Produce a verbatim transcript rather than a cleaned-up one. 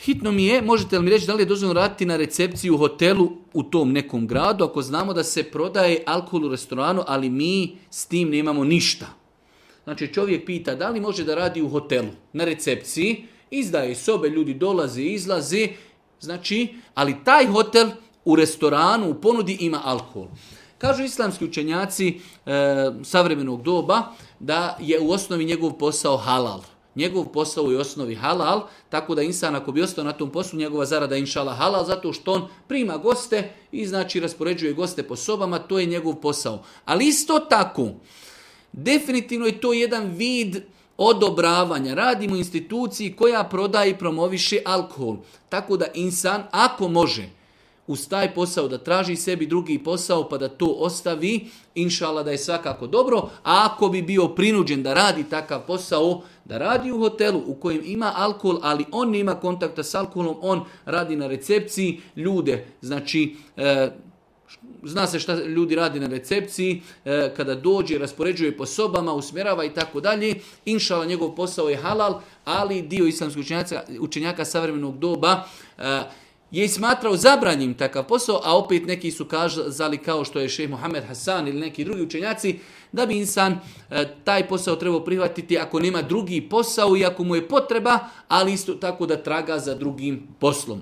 Hitno mi je, možete li mi reći da li je dozvoljeno raditi na recepciji u hotelu u tom nekom gradu, ako znamo da se prodaje alkohol u restoranu, ali mi s tim nemamo ništa. Znači čovjek pita da li može da radi u hotelu, na recepciji, izdaje sobe, ljudi dolaze i izlaze, znači, ali taj hotel u restoranu, u ponudi ima alkohol. Kažu islamski učenjaci e, savremenog doba da je u osnovi njegov posao halal. Njegov posao je u osnovi halal, tako da insan ako bi ostao na tom poslu, njegova zarada je inšala halal, zato što on prima goste i znači raspoređuje goste po sobama, to je njegov posao. Ali isto tako, definitivno je to jedan vid odobravanja. Radimo u instituciji koja prodaje i promoviše alkohol. Tako da insan, ako može, uz taj posao da traži sebi drugi posao pa da to ostavi, inšala da je svakako dobro, a ako bi bio prinuđen da radi takav posao, da radi u hotelu u kojem ima alkohol, ali on nema kontakta s alkoholom, on radi na recepciji, ljude, znači, e, zna se šta ljudi radi na recepciji, e, kada dođe, raspoređuje po sobama, usmjerava i tako dalje, inšala njegov posao je halal, ali dio islamskih učenjaka, učenjaka savremenog doba e, je smatrao zabranjim takav posao, a opet neki su kazali kao što je šejh Muhammed Hasan ili neki drugi učenjaci, da bi insan e, taj posao trebao prihvatiti ako nema drugi posao i ako mu je potreba, ali isto tako da traga za drugim poslom.